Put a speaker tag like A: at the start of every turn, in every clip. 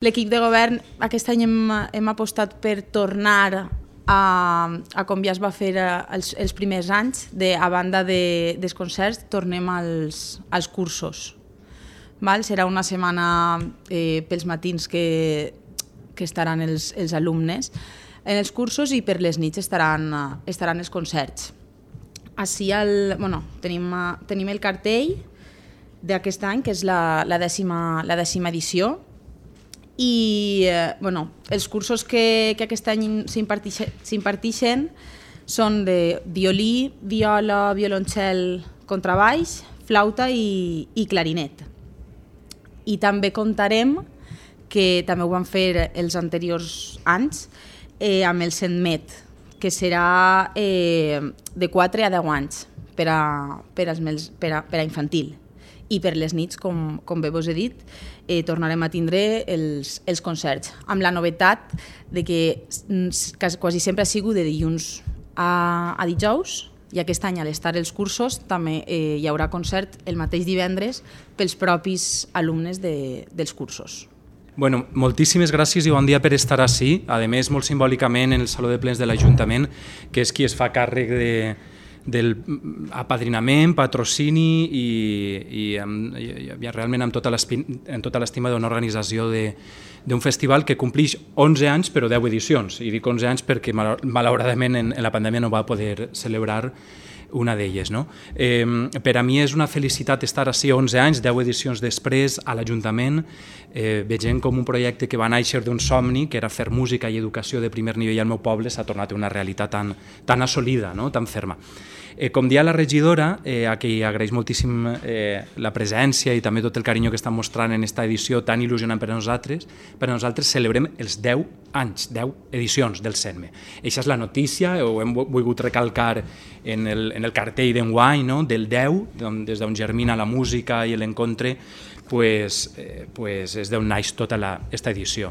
A: L'equip de govern aquest any hem apostat per tornar a com ja es va fer els primers anys, a banda dels concerts, tornem als cursos. Serà una setmana pels matins que estaran els alumnes en els cursos i per les nits estaran els concerts. Així tenim el cartell d'aquest any, que és la décima edició, i els cursos que aquest any s'imparteixen són de violí, viola, violoncel, contrabaix, flauta i clarinet. I també comptarem, que també ho van fer els anteriors anys, amb el CENMET, que serà de 4 a 10 anys per a infantil. I per les nits, com bé vos he dit, tornarem a tindre els concerts, amb la novetat de que quasi sempre ha sigut de dilluns a dijous, i aquest any, a l'estar els cursos, també hi haurà concert el mateix divendres pels propis alumnes dels cursos.
B: Bueno, moltíssimes gràcies i bon dia per estar ací, a més molt simbòlicament en el Saló de Plens de l'Ajuntament, que és qui es fa càrrec del apadrinament, patrocini i realment amb tota l'estima d'una organització d'un festival que complix 11 anys però 10 edicions. I dic 11 anys perquè malauradament en la pandèmia no va poder celebrar una d'elles. Per a mi és una felicitat estar ací 11 anys, 10 edicions després a l'Ajuntament, veient com un projecte que va néixer d'un somni, que era fer música i educació de primer nivell al meu poble, s'ha tornat una realitat tan assolida, tan ferma. Com dia la regidora, a qui agraeix moltíssim la presència i també tot el carinyo que estan mostrant en aquesta edició tan il·lusionant per a nosaltres celebrem els 10 anys, 10 edicions del CENME. Aquesta és la notícia, ho hem volgut recalcar en el cartell d'enguany, del 10, des d'on germina la música i l'encontre, és d'on naix tota aquesta edició.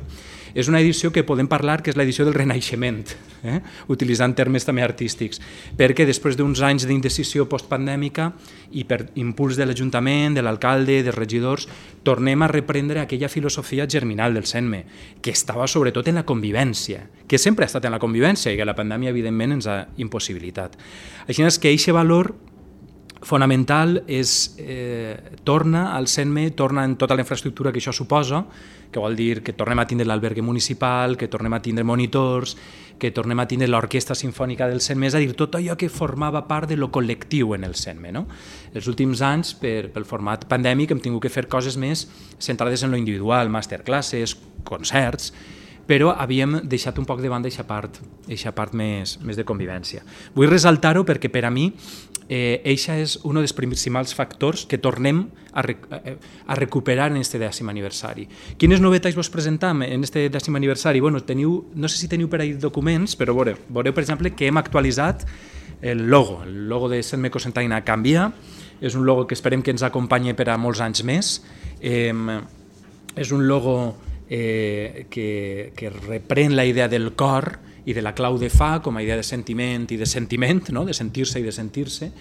B: És una edició que podem parlar que és l'edició del renaixement, utilitzant termes també artístics, perquè després d'uns anys d'indecisió postpandèmica i per impuls de l'Ajuntament, de l'alcalde, dels regidors, tornem a reprendre aquella filosofia germinal del CENME, que estava sobretot en la convivència, que sempre ha estat en la convivència i que la pandèmia evidentment ens ha impossibilitat. Així és que aquest valor fonamental torna al CENME, torna en tota la infraestructura que això suposa, que vol dir que tornem a tindre l'albergue municipal, que tornem a tindre monitors, que tornem a tindre l'orquestra sinfònica del CENME, és a dir, tot allò que formava part de lo col·lectiu en el CENME. Els últims anys, pel format pandèmic, hem tingut que fer coses més centrades en lo individual, masterclasses, concerts, però havíem deixat un poc de banda aquesta part més de convivència. Vull ressaltar-ho perquè per a mi això és un dels principals factors que tornem a recuperar en aquest 10è aniversari. Quines novetats vos presentam en aquest 10è aniversari? No sé si teniu per ahí documents, però veureu, per exemple, que hem actualitzat el logo. El logo de CENME Cocentaina canvia, és un logo que esperem que ens acompanyi per a molts anys més. És un logo que reprèn la idea del cor i de la clau de fa com a idea de sentiment i de sentiment, de sentir-se i de sentir-se,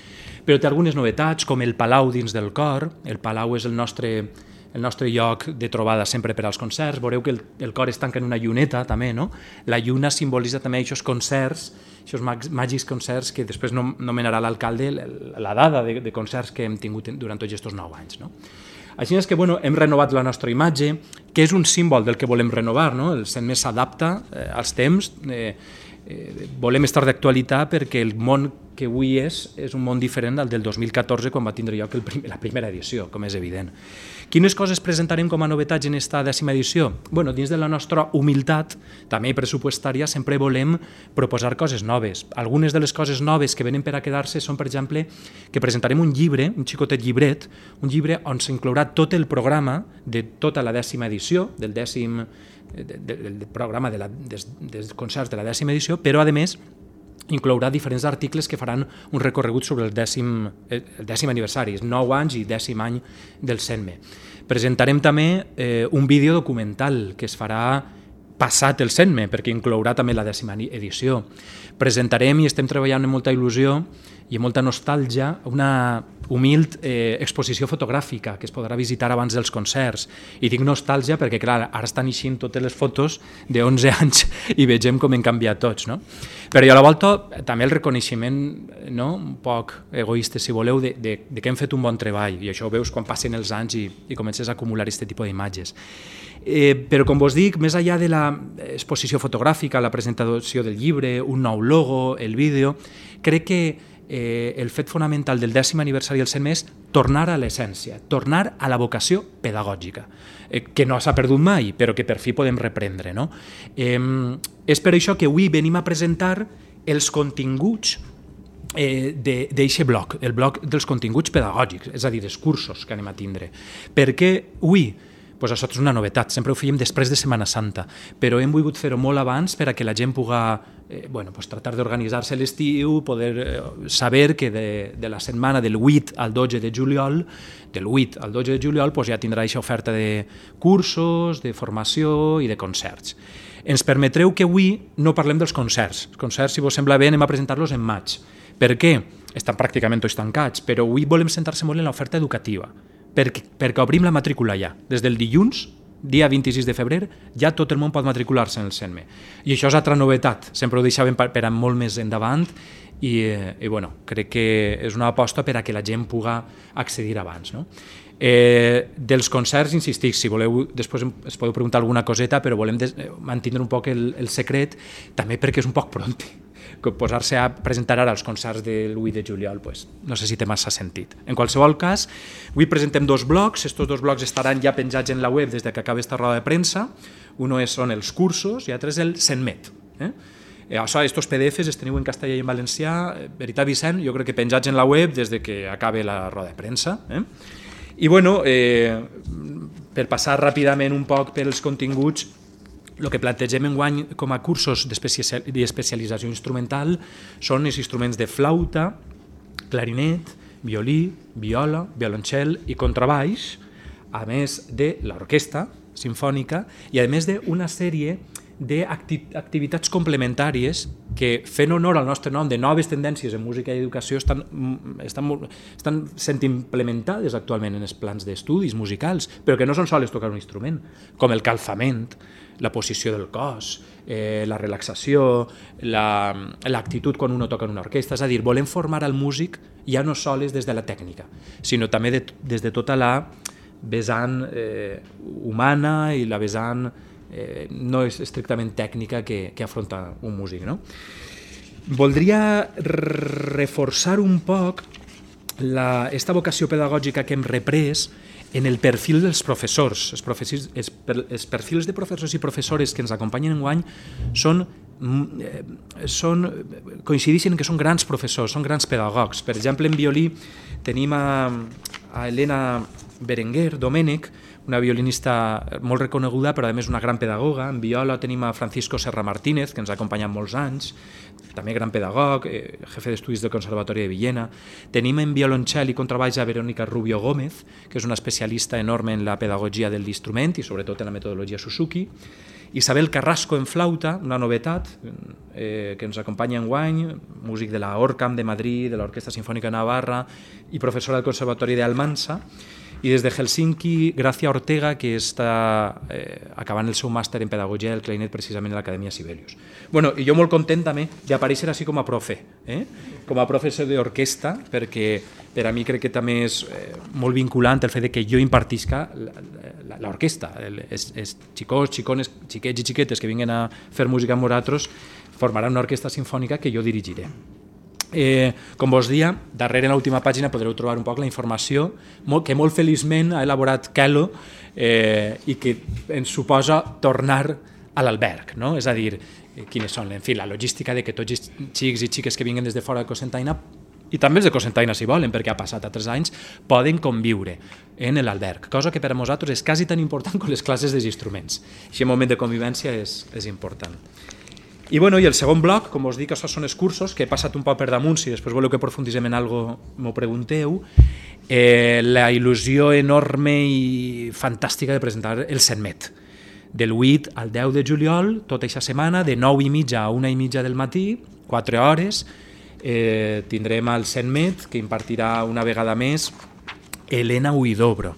B: però té algunes novetats com el palau dins del cor. El palau és el nostre lloc de trobada sempre per als concerts. Veureu que el cor es tanca en una lluneta també, la lluna simbolitza també aquests concerts, aquests màgics concerts que després nomenarà l'alcalde la dada de concerts que hem tingut durant tots aquests 9 anys. Així és que hem renovat la nostra imatge, que és un símbol del que volem renovar. El CENME s'adapta als temps, volem estar d'actualitat perquè el món que avui és un món diferent del 2014 quan va tindre lloc la primera edició, com és evident. Quines coses presentarem com a novetats en aquesta 10è edició? Dins de la nostra humilitat, també pressupostària, sempre volem proposar coses noves. Algunes de les coses noves que venen per a quedar-se són, per exemple, que presentarem un llibre, un xicotet llibret, un llibre on s'inclourà tot el programa de tota la 10è edició, del programa dels concerts de la 10è edició, però, a més, inclourà diferents articles que faran un recorregut sobre el 10è aniversari, 9 anys i 10è any del CENME. Presentarem també un vídeo documental que es farà passat el CENME, perquè inclourà també la 10è edició. Presentarem, i estem treballant amb molta il·lusió i amb molta nostàlgia, una humil exposició fotogràfica que es podrà visitar abans dels concerts. I tinc nostàlgia perquè, clar, ara estan eixint totes les fotos de 11 anys i vegem com hem canviat tots, no? Però i a la volta també el reconeixement, no? Un poc egoista, si voleu, de que hem fet un bon treball, i això ho veus quan passen els anys i comences a acumular aquest tipus d'imatges. Però, com vos dic, més enllà de l'exposició fotogràfica, la presentació del llibre, un nou logo, el vídeo, crec que el fet fonamental del 10è aniversari del CENME és tornar a l'essència, tornar a la vocació pedagògica, que no s'ha perdut mai, però que per fi podem reprendre, no? És per això que avui venim a presentar els continguts d'eixe bloc, el bloc dels continguts pedagògics, és a dir, els cursos que anem a tindre. Perquè avui, doncs això és una novetat, sempre ho fèiem després de Setmana Santa, però hem volgut fer-ho molt abans per a que la gent pugui tratar d'organitzar-se l'estiu, poder saber que de la setmana del 8 al 12 de juliol, ja tindrà aquesta oferta de cursos, de formació i de concerts. Ens permetreu que avui no parlem dels concerts. Els concerts, si vos sembla bé, anem a presentar-los en maig. Per què? Estan pràcticament tots tancats, però avui volem centrar-se molt en l'oferta educativa, perquè obrim la matrícula ja. Des del dilluns, dia 26 de febrer, ja tot el món pot matricular-se en el CENME. I això és altra novetat, sempre ho deixàvem per a molt més endavant i crec que és una aposta per a que la gent pugui accedir abans, no? Dels concerts, insistic, si voleu, després es podeu preguntar alguna coseta, però volem mantenir un poc el secret, també perquè és un poc pront. Posar-se a presentar ara els concerts de l'8 de juliol, no sé si té massa sentit. En qualsevol cas, avui presentem dos blocs, aquests dos blocs estaran ja penjats en la web des que acabi aquesta roda de premsa. Un són els cursos i l'altre és el CENMET. Estos PDFs els teniu en castellà i en valencià, veritat, Vicent, jo crec que penjats en la web des que acabi la roda de premsa. I per passar ràpidament un poc pels continguts, el que plantegem enguany com a cursos d'especialització instrumental són els instruments de flauta, clarinet, violí, viola, violoncel i contrabaix, a més de l'orquestra simfònica i a més d'una sèrie d'activitats complementàries que, fent honor al nostre nom de noves tendències en música i educació, estan sent implementades actualment en els plans d'estudis musicals, però que no són sols tocar un instrument, com el calfament, la posició del cos, la relaxació, l'actitud quan uno toca en una orquestra. És a dir, volem formar al músic ja no sols des de la tècnica, sinó també des de tota la vessant humana i la vessant no és estrictament tècnica que afronta un músic, no? Voldria reforçar un poc aquesta vocació pedagògica que hem reprès en el perfil dels professors. Els perfils de professors i professores que ens acompanyen enguany coincideixen que són grans professors, són grans pedagogs. Per exemple, en violí tenim a Helena Berenguer Domènech, una violinista molt reconeguda, però a més una gran pedagoga. En viola tenim a Francisco Serra Martínez, que ens ha acompanyat molts anys, també gran pedagog, jefe d'estudis del Conservatori de Villena. Tenim en violoncel i contrabaix a Verónica Rubio Gómez, que és una especialista enorme en la pedagogia de l'instrument i sobretot en la metodologia Suzuki. Isabel Carrasco en flauta, una novetat que ens acompanya enguany, músic de la ORCAM de Madrid, de l'Orquestra Sinfònica de Navarra i professora del Conservatori d'Almansa. I des de Helsinki, Gracia Ortega, que està acabant el seu màster en pedagogia del clarinet precisament a l'Acadèmia Sibelius. I jo molt content també d'aparèixer així com a profe, com a professor d'orquestra, perquè per a mi crec que també és molt vinculant el fet que jo impartisca l'orquestra. Els xicons, xicones, xiquets i xiquetes que vinguen a fer música amb nosaltres formaran una orquestra sinfònica que jo dirigiré. Com vos dia, darrere en l'última pàgina podreu trobar un poc la informació que molt feliçment ha elaborat Kelo i que ens suposa tornar a l'alberg, no? És a dir, quines són, en fi, la logística de que tots els xics i xiques que vinguen des de fora de Cocentaina i també els de Cocentaina, si volen, perquè ha passat a 3 anys, poden conviure en l'alberg, cosa que per a nosaltres és quasi tan important com les classes dels instruments. Aquest moment de convivència és important. I el segon bloc, com us dic, això són els cursos, que he passat un poc per damunt, si després voleu que aprofunditzem en alguna cosa m'ho pregunteu. La il·lusió enorme i fantàstica de presentar el CENMET. Del 8 al 10 de juliol, tota aquesta setmana, de 9:30 a 1:30 del matí, 4 hores, tindrem al CENMET, que impartirà una vegada més Elena Huidobro.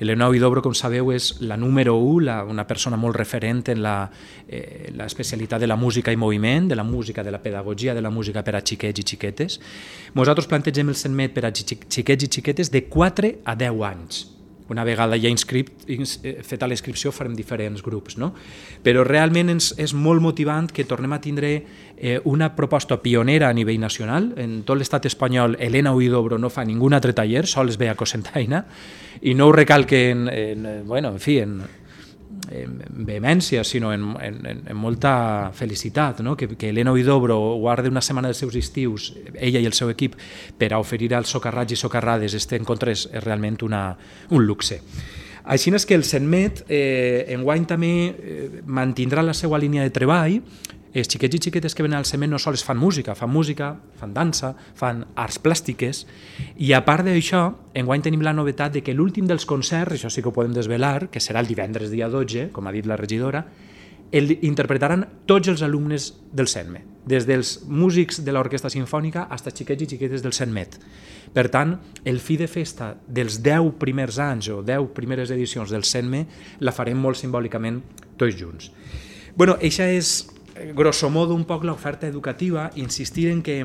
B: Elena Huidobro, com sabeu, és la número 1, una persona molt referent en l'especialitat de la música i moviment, de la música, de la pedagogia, de la música per a xiquets i xiquetes. Nosaltres plantegem el CENMET per a xiquets i xiquetes de 4 a 10 anys. Una vegada ja feta la inscripció farem diferents grups, no? Però realment és molt motivant que tornem a tindre una proposta pionera a nivell nacional. En tot l'estat espanyol, Elena Huidobro no fa ningú altre taller, sols ve a Cocentaina, i no ho recalque en vehemència, sinó en molta felicitat, no? Que Elena Huidobro guarda una setmana dels seus estius, ella i el seu equip, per a oferir als socarrats i socarrades este encontre és realment un luxe. Així és que el CENMET enguany també mantindrà la seva línia de treball. Els xiquets i xiquetes que venen al CENMET no sols fan música, fan dansa, fan arts plàstiques, i a part d'això, enguany tenim la novetat de que l'últim dels concerts, això sí que ho podem desvelar, que serà el divendres dia 12, com ha dit la regidora, interpretaran tots els alumnes del CENMET, des dels músics de l'Orquestra Simfònica fins als xiquets i xiquetes del CENMET. Per tant, el fi de festa dels 10 primers anys o 10 primeres edicions del CENMET la farem molt simbòlicament tots junts. Això és grosso modo un poc l'oferta educativa, insistir en que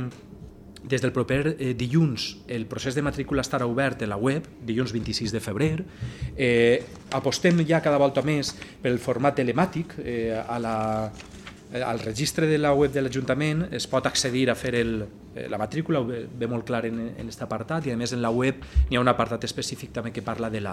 B: des del proper dilluns el procés de matrícula estarà obert en la web, dilluns 26 de febrer. Apostem ja cada volta més pel format telemàtic. Al registre de la web de l'Ajuntament es pot accedir a fer la matrícula, ho ve molt clar en aquest apartat, i a més en la web hi ha un apartat específic també que parla del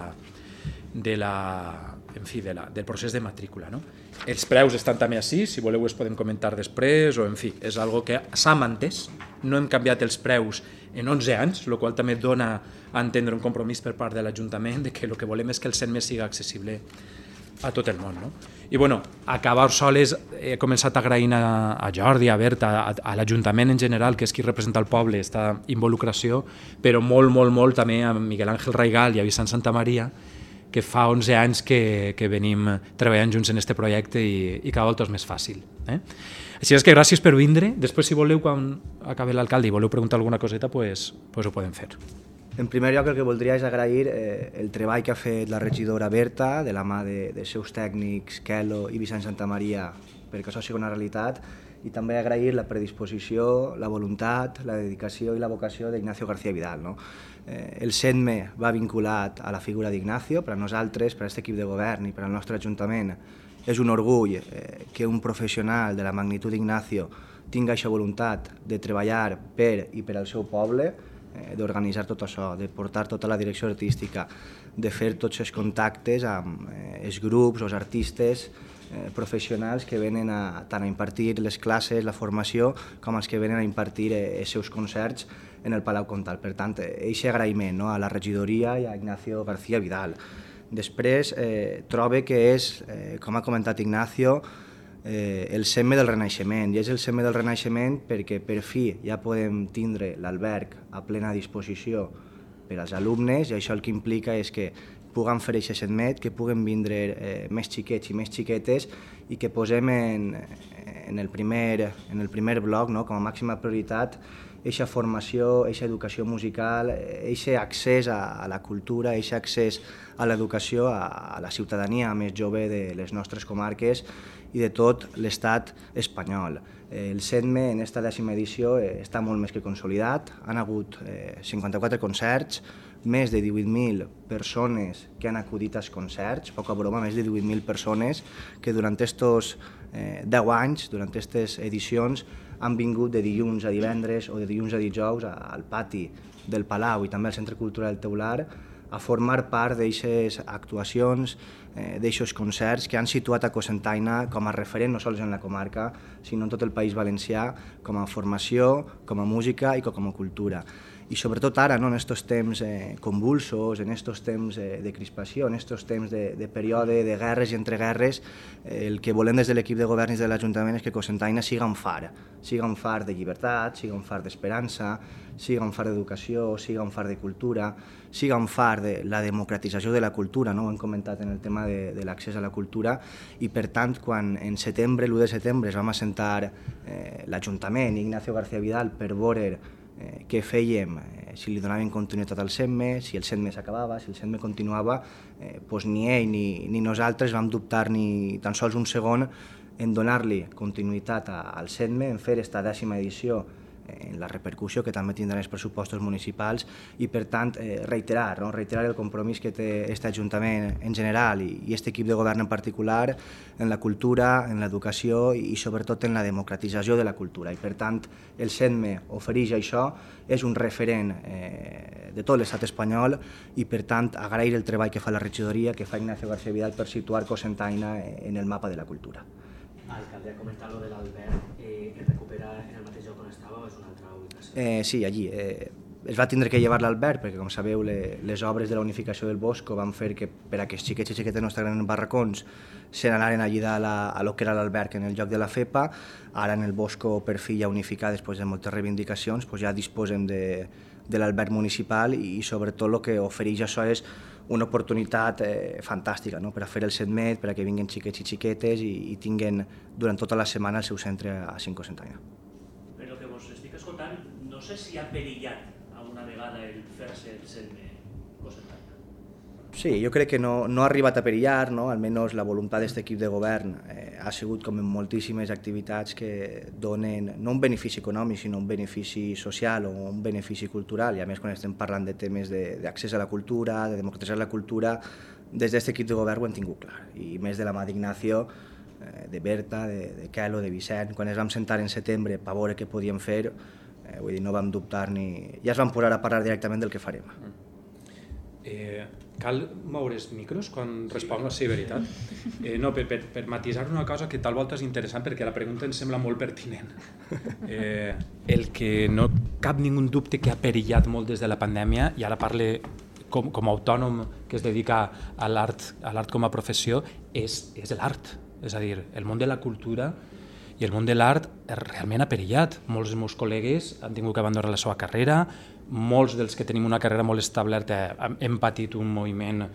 B: procés de matrícula. No? Els preus estan també així, si voleu es podem comentar després, o en fi, és algo que s'ha mantès, no hem canviat els preus en 11 anys, el qual també dona a entendre un compromís per part de l'Ajuntament de que el que volem és que el CENMET sigui accessible a tot el món. No? I acabar soles, he començat agraint a Jordi, a Berta, a l'Ajuntament en general, que és qui representa el poble, aquesta involucració, però molt també a Miguel Ángel Raigal i a Vicent Santamaria, que fa 11 anys que venim treballant junts en aquest projecte i cada volta és més fàcil. Així és que gràcies per vindre. Després, si voleu, quan acabi l'alcalde i voleu preguntar alguna coseta, pues ho podem fer.
C: En primer lloc, el que voldria és agrair el treball que ha fet la regidora Berta, de la mà dels seus tècnics, Kelo i Vicent Santamaria, perquè això sigui una realitat, i també agrair la predisposició, la voluntat, la dedicació i la vocació d'Ignacio García Vidal. No? El CENME va vinculat a la figura d'Ignacio. Per a nosaltres, per a aquest equip de govern i per al nostre Ajuntament, és un orgull que un professional de la magnitud d'Ignacio tingui aquesta voluntat de treballar per i per al seu poble, d'organitzar tot això, de portar tota la direcció artística, de fer tots els contactes amb els grups, els artistes, professionals que venen tant a impartir les classes, la formació, com els que venen a impartir els seus concerts en el Palau Comtal. Per tant, aquest agraïment a la regidoria i a Ignacio García Vidal. Després, trobo que és, com ha comentat Ignacio, el CENME del Renaixement, i és el CENME del Renaixement perquè per fi ja podem tindre l'alberg a plena disposició per als alumnes, i això el que implica és que puguem fer aquest CENMET, que puguen vindre més xiquets i més xiquetes, i que posem en el primer bloc, com a màxima prioritat, aquesta formació, aquesta educació musical, aquest accés a la cultura, aquest accés a l'educació a la ciutadania més jove de les nostres comarques i de tot l'estat espanyol. El CENME en aquesta 10ª edició està molt més que consolidat. Han hagut 54 concerts, més de 18.000 persones que han acudit als concerts, poca broma, més de 18.000 persones que durant aquests 10 anys, durant aquestes edicions, han vingut de dilluns a divendres o de dilluns a dijous al pati del Palau i també al Centre Cultural Teular a formar part d'aquestes actuacions, d'aquests concerts que han situat a Cocentaina com a referent no sols en la comarca, sinó en tot el País Valencià, com a formació, com a música i com a cultura. i sobretot ara, no, en aquests temps convulsos, en aquests temps de crispació, en aquests temps de període de guerres i entreguerres, el que volem des de l'equip de govern i de l'Ajuntament és que Cocentaina siga un far de llibertat, siga un far d'esperança, siga un far d'educació, siga un far de cultura, siga un far de la democratització de la cultura, no? Ho hem comentat en el tema de l'accés a la cultura, i per tant, quan en setembre, l'1 de setembre, es vam assentar l'Ajuntament i Ignacio García Vidal per veure què fèiem, si li donàvem continuïtat al CENME, si el CENME s'acabava, si el CENME continuava, doncs ni ell ni nosaltres vam dubtar ni tan sols un segon en donar-li continuïtat al CENME, en fer aquesta 10ª edició, en la repercussió que també tindran els pressupostos municipals i, per tant, reiterar el compromís que té aquest Ajuntament en general i aquest equip de govern en particular en la cultura, en l'educació i sobretot en la democratització de la cultura. I, per tant, el CENME ofereix això, és un referent de tot l'estat espanyol i, per tant, agrair el treball que fa la regidoria, que fa Ignacio García Vidal per situar Cocentaina en el mapa de la cultura.
D: Alcalde, ha comentat lo de l'Albert, el recupera en el mateix lloc on estava o és una altra ubicació?
C: Sí, allí. Es va tindre que llevar l'Albert perquè, com sabeu, les obres de la unificació del Bosco van fer que per a que els xiquets i xiquetes no estaven en barracons se n'anaren allí a lo que era l'Albert en el lloc de la FEPA. Ara en el Bosco per fi ja unificat després de moltes reivindicacions ja disposem de l'Albert municipal i sobretot el que ofereix això és una oportunitat fantàstica per a fer el CENME, per a que vinguin xiquets i xiquetes i tinguin durant tota la setmana el seu centre a Cocentaina.
E: Però que vos estic escoltant, no sé si ha perillat alguna vegada el fer-se el CENME Cocentaina.
C: Sí, jo crec que no ha arribat a perillar, almenys la voluntat d'aquest equip de govern ha sigut com en moltíssimes activitats que donen no un benefici econòmic, sinó un benefici social o un benefici cultural, i a més quan estem parlant de temes d'accés a la cultura, de democratitzar la cultura, des d'aquest equip de govern ho hem tingut clar, i més de la mà d'Ignacio, de Berta, de Kelo, de Vicent, quan ens vam sentar en setembre per veure què podíem fer, vull dir, no vam dubtar ni... Ja es van posar a parlar directament del que farem.
B: Cal moure els micros quan responc? Sí, veritat. No, per matisar una cosa que tal volta és interessant perquè la pregunta em sembla molt pertinent. El que no cap ningú dubte que ha perillat molt des de la pandèmia, i ara parle com a autònom que es dedica a l'art com a professió, és l'art. És a dir, el món de la cultura i el món de l'art realment ha perillat. Molts dels meus col·legues han tingut que abandonar la seva carrera, molts dels que tenim una carrera molt establerta hem patit un moviment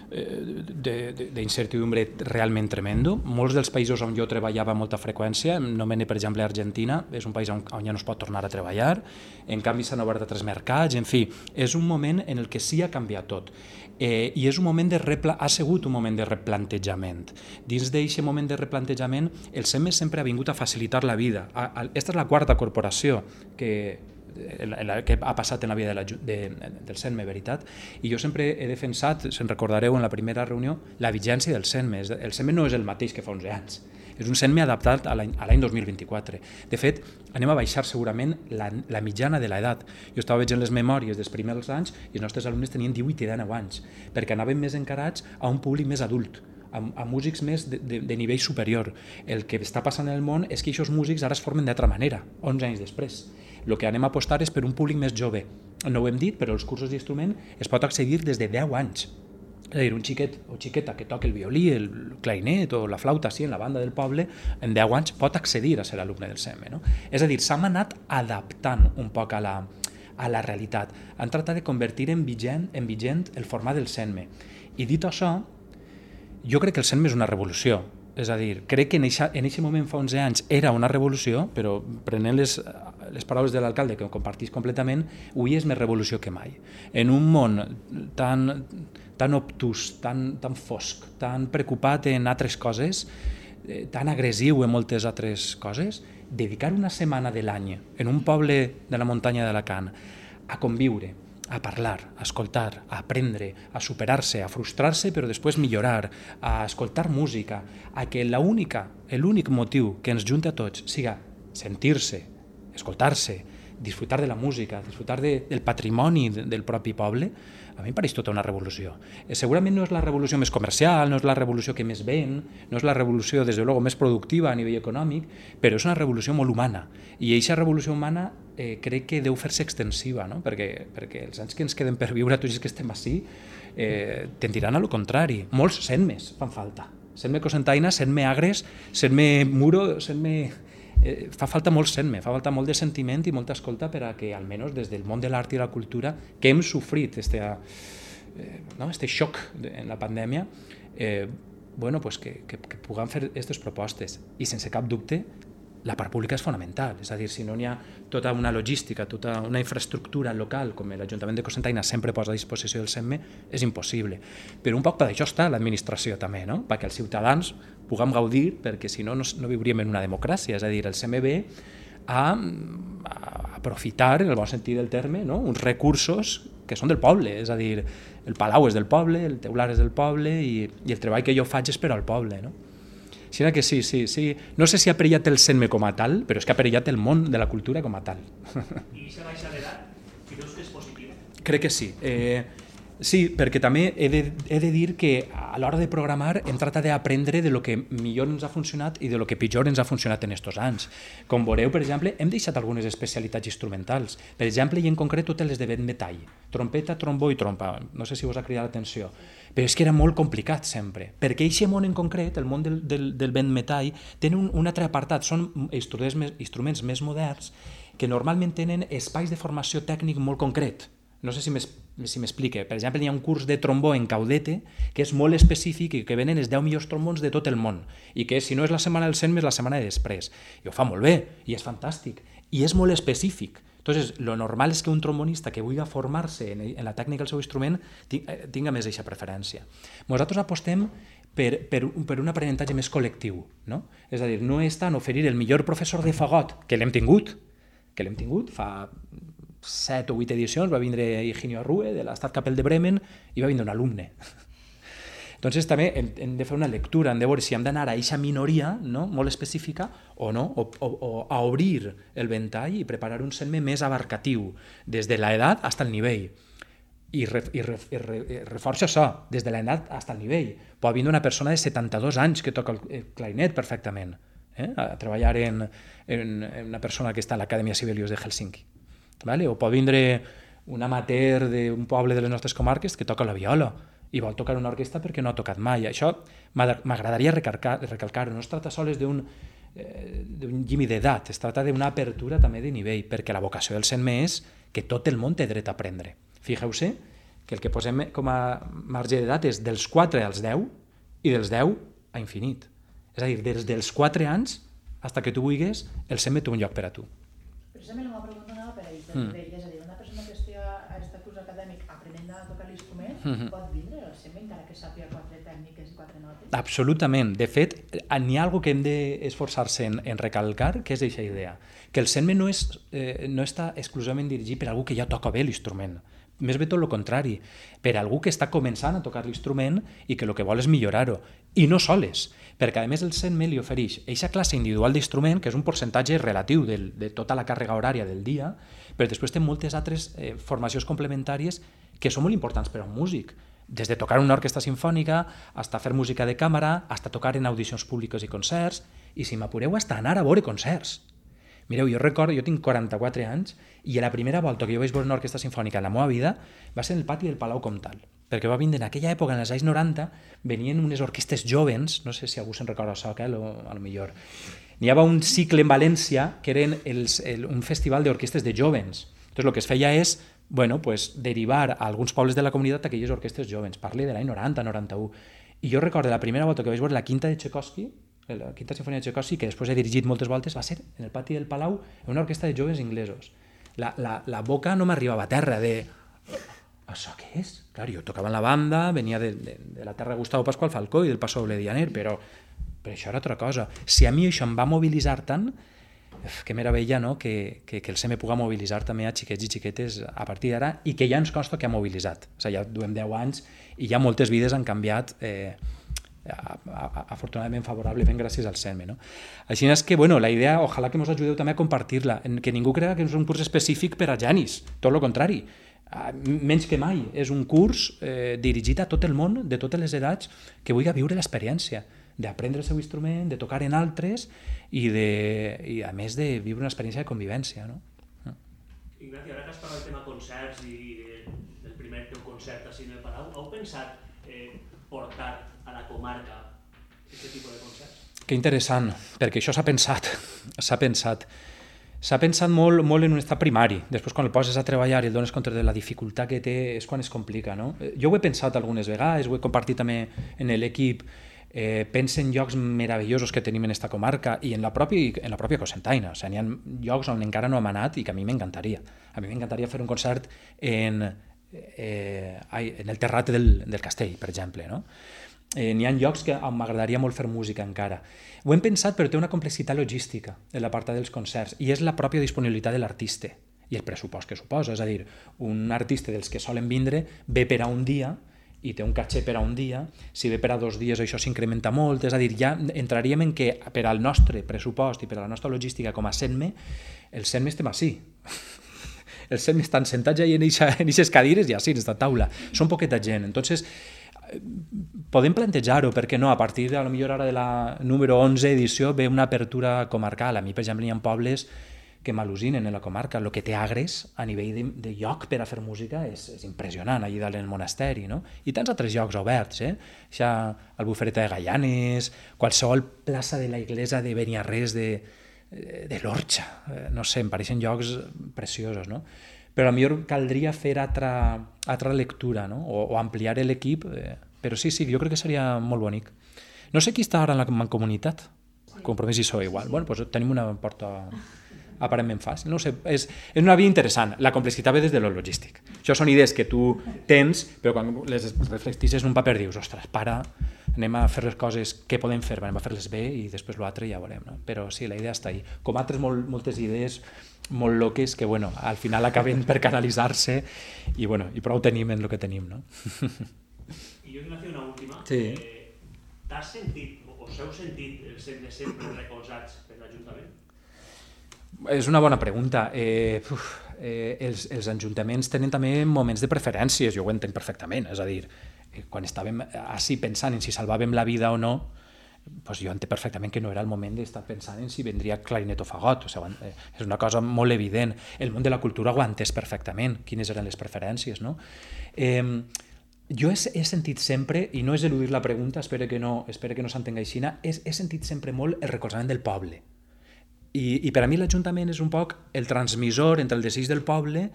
B: d'incertidumbre realment tremendo. Molts dels països on jo treballava amb molta freqüència, nomene per exemple Argentina, és un país on ja no es pot tornar a treballar, en canvi s'han obert altres mercats, en fi, és un moment en el que sí ha canviat tot. I és un moment ha sigut un moment de replantejament. Dins d'aquest moment de replantejament, el CENME sempre ha vingut a facilitar la vida. Aquesta és la 4ª corporació que ha passat en la vida del CENME, veritat? I jo sempre he defensat, se'n recordareu en la primera reunió, la vigència del CENME. El CENME no és el mateix que fa 11 anys. És un CENME adaptat a l'any 2024. De fet, anem a baixar segurament la mitjana de l'edat. Jo estava veient les memòries dels primers anys i els nostres alumnes tenien 18 i 19 anys, perquè anaven més encarats a un públic més adult, a músics més de nivell superior. El que està passant en el món és que aquests músics ara es formen d'altra manera, 11 anys després. El que anem a apostar és per un públic més jove. No ho hem dit, però els cursos d'instrument es pot accedir des de 10 anys. És a dir, un xiquet o xiqueta que toca el violí, el clarinet o la flauta en la banda del poble, en 10 anys pot accedir a ser alumne del CENME. No? És a dir, s'han anat adaptant un poc a la realitat. Han tratat de convertir en vigent el format del CENME. I dit això, jo crec que el CENME és una revolució. És a dir, crec que en aquest moment fa 11 anys era una revolució, però prenent les paraules de l'alcalde, que ho compartís completament, avui és més revolució que mai. En un món tan obtús, tan fosc, tan preocupat en altres coses, tan agressiu en moltes altres coses, dedicar una setmana de l'any en un poble de la muntanya d'Alacant a conviure, a parlar, a escoltar, a aprendre, a superar-se, a frustrar-se però després millorar, a escoltar música, a que l'únic motiu que ens junta a tots siga sentir-se, escoltar-se, disfrutar de la música, disfrutar del patrimoni del propi poble, a mi em pareix tota una revolució. Segurament no és la revolució més comercial, no és la revolució que més ven, no és la revolució, des de luego, més productiva a nivell econòmic, però és una revolució molt humana. I aquesta revolució humana crec que deu fer-se extensiva, no? perquè els anys que ens queden per viure, tots els que estem així, tendiran a lo contrari. Molts sent-mes fan falta. Sent-me cosentaina, sent-me agres, sent-me muro, sent-me... fa falta molt sent-me, fa falta molt de sentiment i molta escolta per a que, almenys des del món de l'art i la cultura, que hem sofrit este xoc en la pandèmia, bueno, pues que puguem fer aquestes propostes. I sense cap dubte, la part pública és fonamental. És a dir, si no hi ha tota una logística, tota una infraestructura local, com l'Ajuntament de Cocentaina sempre posa a disposició del SEMME, és impossible. Però un poc per això està l'administració també, no? Perquè els ciutadans puguem gaudir, perquè si no, no viuríem en una democràcia. És a dir, el SEMME ve a aprofitar, en el bon sentit del terme, no? Uns recursos que són del poble. És a dir, el palau és del poble, el teular és del poble i el treball que jo faig és per al poble, no? Així que sí. No sé si ha perillat el SEMME com a tal, però és que ha perillat el món de la cultura com a tal.
E: I aquesta baixa d'edat, creus que és positiva?
B: Crec que sí. Sí, perquè també he de dir que a l'hora de programar hem tratat d'aprendre de lo que millor ens ha funcionat i de lo que pitjor ens ha funcionat en estos anys. Com veureu, per exemple, hem deixat algunes especialitats instrumentals. Per exemple, i en concret totes les de vent metall. Trompeta, trombó i trompa. No sé si us ha cridat l'atenció. Però és que era molt complicat sempre. Perquè aquest món en concret, el món del vent metall, té un altre apartat. Són instruments més moderns que normalment tenen espais de formació tècnic molt concret. No sé si m'explique. Per exemple, hi ha un curs de trombó en Caudete que és molt específic i que venen els 10 millors trombons de tot el món i que si no és la setmana del SEMME és la setmana de després. I ho fa molt bé i és fantàstic i és molt específic. Entonces, lo normal és que un trombonista que vulgui formar-se en la tècnica del seu instrument tinga més aquesta preferència. Nosaltres apostem per un aprenentatge més col·lectiu, no? És a dir, no és tant oferir el millor professor de fagot, que l'hem tingut fa 7 o 8 edicions, va vindre Higinio Arrue de l'Estat Capell de Bremen i va vindre un alumne. Entonces també hem de fer una lectura, hem de veure si hem d'anar a aquesta minoria, no? Molt específica o no, o a obrir el ventall i preparar un SEMME més abarcatiu, des de l'edat fins al nivell. I reforça això, des de l'edat fins al nivell. Pot vindre una persona de 72 anys que toca el clarinet perfectament, a treballar en una persona que està a l'Acadèmia Sibelius de Helsinki. Vale? O pot vindre un amateur d'un poble de les nostres comarques que toca la viola i vol tocar una orquestra perquè no ha tocat mai. Això m'agradaria recalcar-ho. No es tracta sols d'un límit d'edat, es tracta d'una apertura també de nivell, perquè la vocació del SEMME és que tot el món té dret a aprendre. Fixeu-se que el que posem com a marge d'edat és dels 4 als 10 i dels 10 a infinit. És a dir, des dels 4 anys fins que tu vulguis, el SEMME té un lloc per a tu.
F: Precisament la pregunta anava per ahí, és a dir, una persona que estigui a aquest curs acadèmic aprenent a tocar l'instrument pot vindre al SEMME encara que sàpiga 4 tècniques i 4 notes?
B: Absolutament. De fet, n'hi ha alguna que hem d'esforçar-se en recalcar, que és aquesta idea, que el SEMME no està exclusivament dirigit per algú que ja toca bé l'instrument. Més bé tot el contrari, per algú que està començant a tocar l'instrument i que el que vol és millorar-ho. I no soles, perquè a més el SEMME li ofereix aquesta classe individual d'instrument, que és un percentatge relatiu de tota la càrrega horària del dia, però després té moltes altres formacions complementàries que són molt importants per a un músic, des de tocar en una orquestra sinfònica, fins a fer música de càmera, fins a tocar en audicions públiques i concerts, i si m'apureu, fins a anar a veure concerts. Mireu, jo recordo, jo tinc 44 anys i la primera volta que jo vaig veure una orquestra sinfònica en la meva vida va ser en el pati del Palau Comtal, perquè va vindre en aquella època, en els anys 90, venien unes orquestes jovens, no sé si algú se'n recorda això, a lo millor. N'hi havia un cicle en València que eren un festival d'orquestes de jovens. Entonces, el que es feia és derivar a alguns pobles de la comunitat aquelles orquestes jovens. Parli de l'any 90, 91. I jo recordo la primera volta que vaig veure la quinta de Tchaikovsky, la quinta sinfonia de Tchaikovsky, que després he dirigit moltes voltes, va ser en el pati del Palau, en una orquestra de joves inglesos. La boca no m'arribava a terra de... Això què és? Clar, jo tocava en la banda, venia de la terra de Gustavo Pascual Falcó i del Paso Doble Dianer, però això era altra cosa. Si a mi això em va mobilitzar tant, que meravella, no? que el SEMME puga mobilitzar també a xiquets i xiquetes a partir d'ara i que ja ens consta que ha mobilitzat. O sigui, ja duem 10 anys i ja moltes vides han canviat afortunadament favorablement gràcies al CENME. No? Així és que, bueno, la idea, ojalà que ens ajudeu també a compartir-la, que ningú cregui que és un curs específic per a genis, tot el contrari. Menys que mai, és un curs dirigit a tot el món, de totes les edats, que vulgui viure l'experiència d'aprendre el seu instrument, de tocar en altres i a més de viure una experiència de convivència. No?
E: Ignacio, ara que has parlat del tema concerts i del primer teu concert així en el Palau, heu pensat portar a la comarca aquest tipus de concerts?
B: Que interessant, perquè això s'ha pensat. S'ha pensat molt en un estat primari. Després, quan el poses a treballar i el dones compte de la dificultat que té, és quan es complica. No? Jo ho he pensat algunes vegades, ho he compartit també en l'equip. Pensa en llocs meravellosos que tenim en esta comarca i en la pròpia Cocentaina. O sigui, n'hi ha llocs on encara no hem anat i que a mi m'encantaria. A mi m'encantaria fer un concert en el terrat del castell, per exemple. No? N'hi ha llocs on m'agradaria molt fer música encara. Ho hem pensat, però té una complexitat logística en la part dels concerts i és la pròpia disponibilitat de l'artista i el pressupost que suposa. És a dir, un artista dels que solen vindre ve per a un dia i té un caché per a un dia, si ve per a 2 dies això s'incrementa molt, és a dir, ja entraríem en que per al nostre pressupost i per a la nostra logística com a CENME, el CENME estem així. El CENME estan sentats allà en aquestes cadires i així, en aquesta taula. Són poqueta gent. Entonces, podem plantejar-ho, perquè no, a partir de, potser ara de la número 11 edició ve una apertura comarcal. A mi, per exemple, hi ha pobles que m'al·lucinen en la comarca. El que té Agres a nivell de lloc per a fer música és impressionant, allà dalt en el monasteri, no? I tants altres llocs oberts, Això, el Bufereta de Gaianes, qualsevol plaça de la iglesia de Beniarrés de l'Orxa, no sé, em pareixen llocs preciosos, no? Però potser caldria fer altra lectura, no? O ampliar l'equip, però sí, jo crec que seria molt bonic. No sé qui està ara en la mancomunitat, Compromís i PSOE igual. Bueno, doncs tenim una porta aparentment fàcil. No sé, és una via interessant. La complexitat ve des de lo logístic. Això són idees que tu tens, però quan les reflecteixes en un paper dius, ostres, para, anem a fer les coses que podem fer, anem a fer-les bé i després l'altre ja veurem. No? Però sí, la idea està ahí. Com altres moltes idees molt loques que, bueno, al final acaben per canalitzar-se i, bueno, i prou tenim en el que tenim, no?
E: I jo vull fer una última.
B: Sí.
E: T'has sentit, o s'heu sentit el sempre recolzats per l'Ajuntament?
B: És una bona pregunta. Els ajuntaments tenen també moments de preferències, jo ho entenc perfectament, és a dir, quan estàvem així pensant en si salvàvem la vida o no, doncs jo entenc perfectament que no era el moment d'estar pensant en si vendria clarinet o fagot, o sigui, és una cosa molt evident. El món de la cultura ho ha entès perfectament, quines eren les preferències, no? Jo he sentit sempre, i no és eludir la pregunta, espero que no s'entenga així, he sentit sempre molt el recolzament del poble. I per a mi l'Ajuntament és un poc el transmissor entre el desig del poble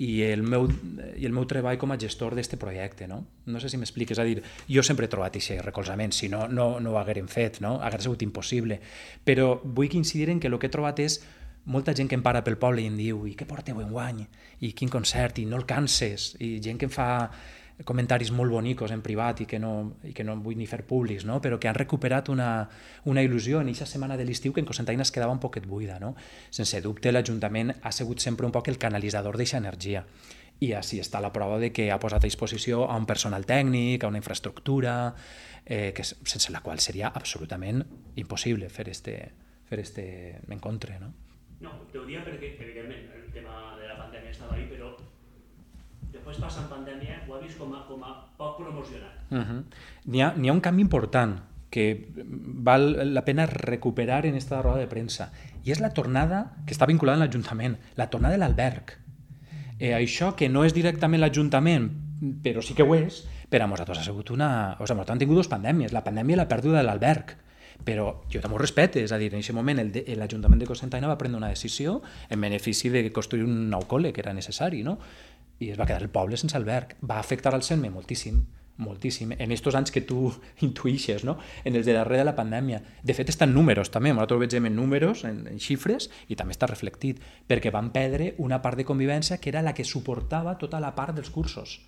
B: i el meu treball com a gestor d'aquest projecte. No sé si m'explico, és a dir, jo sempre he trobat aquest recolzament, si no ho haguérem fet, no? Hauria sigut impossible. Però vull incidir en que el que he trobat és molta gent que em para pel poble i em diu i què porteu enguany? I quin concert? I no el canses? I gent que em fa comentaris molt bonicos en privat i que no vull ni fer públics, no? Però que han recuperat una il·lusió en aquesta setmana de l'estiu que en Cocentaina es quedava un poquet buida. No? Sense dubte l'Ajuntament ha sigut sempre un poc el canalitzador d'aquesta energia i així està la prova de que ha posat a disposició a un personal tècnic, a una infraestructura, sense la qual seria absolutament impossible fer este encontre. No?
E: No, t'ho dia perquè, evidentment, el tema de la pandèmia estava ahí, però després passant pandèmia ho ha vist com a poc promocionat.
B: N'hi ha un canvi important que val la pena recuperar en esta roda de premsa i és la tornada, que està vinculada a l'Ajuntament, la tornada de l'alberg. Això que no és directament l'Ajuntament, però sí que ho és, per a nosaltres ha sigut nosaltres hem tingut 2 pandèmies, la pandèmia i la pèrdua de l'alberg. Però jo també ho respecte, és a dir, en aquest moment l'Ajuntament de Cocentaina va prendre una decisió en benefici de construir un nou col·le que era necessari, no? I es va quedar el poble sense alberg. Va afectar al CENME moltíssim, moltíssim, en aquests anys que tu intuïxes, no? En els de darrere de la pandèmia. De fet, està en números també, nosaltres ho veiem en números, en xifres, i també està reflectit, perquè van perdre una part de convivència que era la que suportava tota la part dels cursos.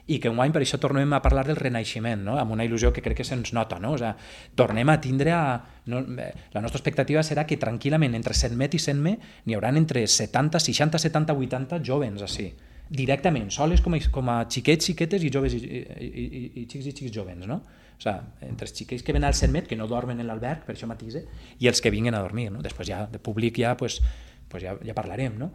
B: I que enguany per això tornem a parlar del renaixement, no? Amb una il·lusió que crec que se'ns nota, no? O sigui, tornem a tindre la nostra expectativa serà que tranquil·lament entre CENMET i CENME n'hi haurà entre 70, 60, 70, 80 jovens així. directament, soles com a xiquets, xiquetes i joves i xics i xics jovens, no? O sigui, entre els xiquets que venen al Centmet, que no dormen en l'alberg, per això matís, i els que vinguen a dormir, no? Després ja, de públic ja, pues ja parlarem, no?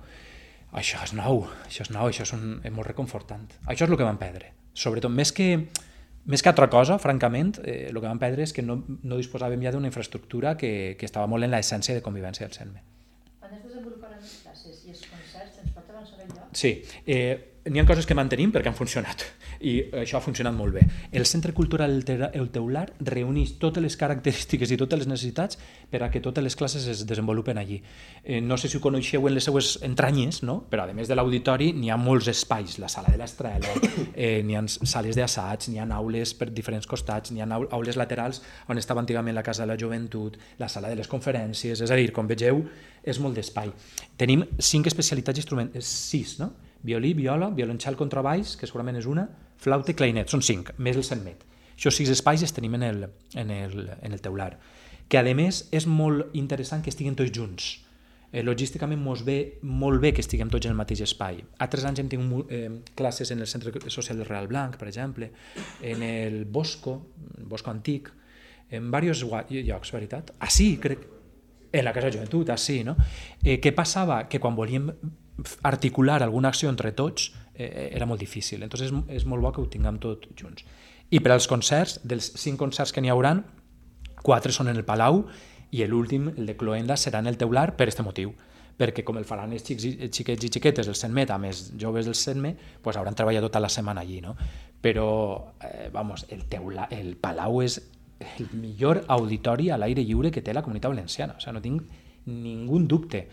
B: Això és nou, això és molt reconfortant. Això és el que vam perdre. Sobretot, més que altra cosa, francament, el que vam perdre és que no disposàvem ja d'una infraestructura que estava molt en l'essència de convivència del Centmet.
F: Quan es desenvoluparan les classes i els concerts, ens pot avançar el lloc?
B: Sí, n'hi ha coses que mantenim perquè han funcionat i això ha funcionat molt bé. El Centre Cultural El Teular reuneix totes les característiques i totes les necessitats per a que totes les classes es desenvolupen allí. No sé si ho coneixeu en les seues entranyes, no? Però a més de l'auditori n'hi ha molts espais, la sala de l'Estrela, n'hi ha sales d'assaig, n'hi ha aules per diferents costats, n'hi ha aules laterals on estava antigament la Casa de la Joventut, la sala de les conferències, és a dir, com vegeu, és molt d'espai. Tenim 5 especialitats instrumentals, 6, no? Violí, viola, violoncel, contrabaix, que segurament és una, flauta i clarinet, són 5, més el Centmet. Això 6 espais els tenim en el teular, que a més és molt interessant que estiguin tots junts. Logísticament mos ve molt bé que estiguem tots en el mateix espai. Altres anys hem tingut classes en el Centre Social del Real Blanc, per exemple, en el Bosco Antic, en diversos llocs, veritat? Ah, sí, crec, en la Casa de Joventut, ah, sí, no? Què passava? Que quan volíem articular alguna acció entre tots era molt difícil, entonces és molt bo que ho tinguem tot junts. I per als concerts, dels 5 concerts que n'hi hauran, 4 són en el Palau i l'últim, el de Cloenda, serà en el teular per aquest motiu, perquè com el faran els xiquets i xiquetes del Centmet, a més joves del Centmet, pues hauran treballat tota la setmana allí, no? Però, el Palau és el millor auditori a l'aire lliure que té la Comunitat Valenciana, o sigui, no tinc ningú dubte.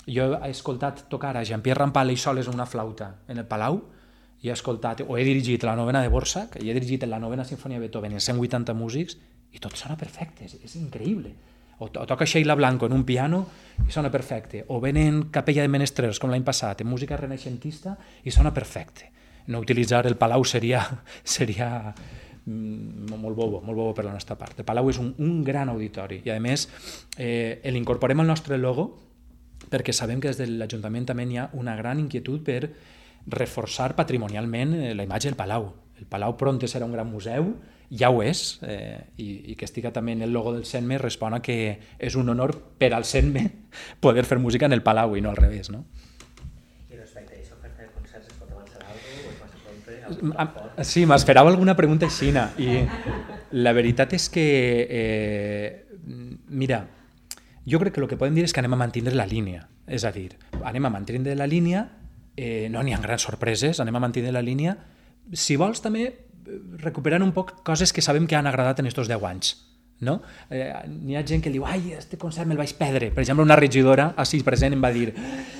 B: Jo he escoltat tocar a Jean-Pierre Rampal i soles una flauta en el Palau i he escoltat, o he dirigit la novena de Borsak i he dirigit la novena sinfonia de Beethoven en 180 músics i tot sona perfecte, és increïble. O toca Sheila Blanco en un piano i sona perfecte, o venen Capella de Menestrers com l'any passat en música renaixentista i sona perfecte. No utilitzar el Palau seria molt bobo per la nostra part. El Palau és un gran auditori i a més l'incorporem al nostre logo perquè sabem que des de l'Ajuntament també hi ha una gran inquietud per reforçar patrimonialment la imatge del Palau. El Palau pront serà un gran museu, ja ho és, i que estiga també en el logo del Centmet respon a que és un honor per al Centmet poder fer música en el Palau i no al revés, no?
D: I respecte a aquesta oferta de concerts, es pot avançar alguna cosa o es passa sempre?
B: Sí, m'esperava alguna pregunta així, i la veritat és que, mira, jo crec que el que podem dir és que anem a mantenir la línia, és a dir, anem a mantenir la línia, no n'hi ha grans sorpreses, anem a mantenir la línia, si vols també recuperar un poc coses que sabem que han agradat en aquests 10 anys, no? N'hi ha gent que diu, ai, este concert me'l vaig perdre, per exemple una regidora així present em va dir,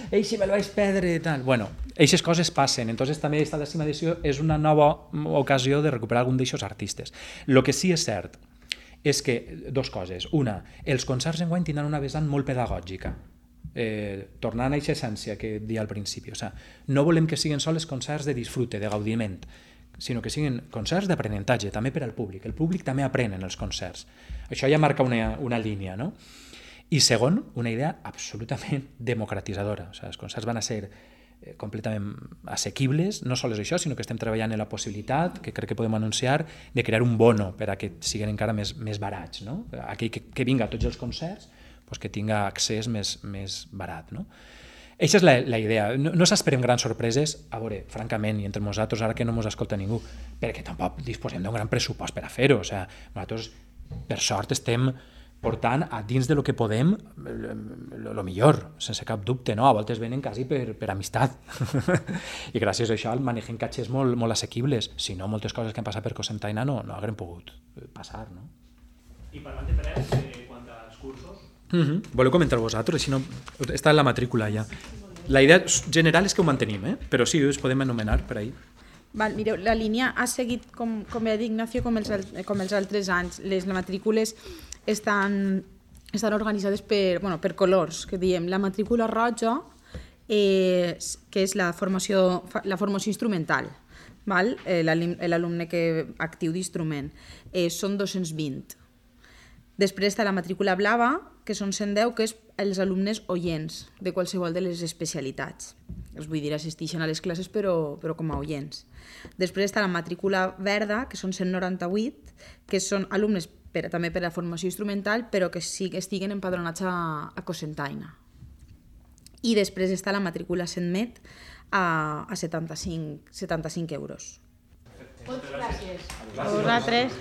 B: eixe me'l vaig perdre, tal. Bueno, eixes coses passen, entonces també aquesta 10ª edició és una nova ocasió de recuperar algun d'aixos artistes. El que sí és cert és que, 2 coses. Una, els concerts enguany tindran una vessant molt pedagògica, tornant a aquesta essència que deia al principi. O sigui, no volem que siguin sols concerts de disfrute, de gaudiment, sinó que siguin concerts d'aprenentatge, també per al públic. El públic també aprèn en els concerts. Això ja marca una línia, no? I segon, una idea absolutament democratitzadora. O sigui, els concerts van a ser completament assequibles, no sols això, sinó que estem treballant en la possibilitat, que crec que podem anunciar, de crear un bono per a que siguin encara més barats, no? Aquell que vinga a tots els concerts, doncs que tinga accés més barat, no? Aquesta és la idea. No s'esperen grans sorpreses, a veure, francament, i entre nosaltres, ara que no ens escolta ningú, perquè tampoc disposem d'un gran pressupost per a fer-ho. O sigui, nosaltres, per sort, estem portant a dins de lo que podem lo millor, sense cap dubte, no? A voltes venen quasi per amistat i gràcies a això manegem catxers molt assequibles, si no moltes coses que han passat per Cocentaina no haguem pogut passar, no?
E: I parlant de preus, quant als cursos?
B: Voleu comentar vosaltres? Si no, està en la matrícula ja. La idea general és que ho mantenim, però sí, us podem anomenar per ahí.
A: Mireu, la línia ha seguit, com ja dic, Ignacio, com els altres anys. Les matrícules estan organitzades per colors, que diem. La matrícula roja, que és la formació instrumental, l'alumne actiu d'instrument, són 220. Després està la matrícula blava, que són 110, que és els alumnes oients de qualsevol de les especialitats. Vull dir, assisteixen a les classes però com a oients. Després està la matrícula verda, que són 198, que són alumnes també per a formació instrumental, però que sí que estiguen empadronats a Cocentaina. I després està la matrícula CENTMED a 75 euros.
F: Moltes gràcies.
A: A vosaltres.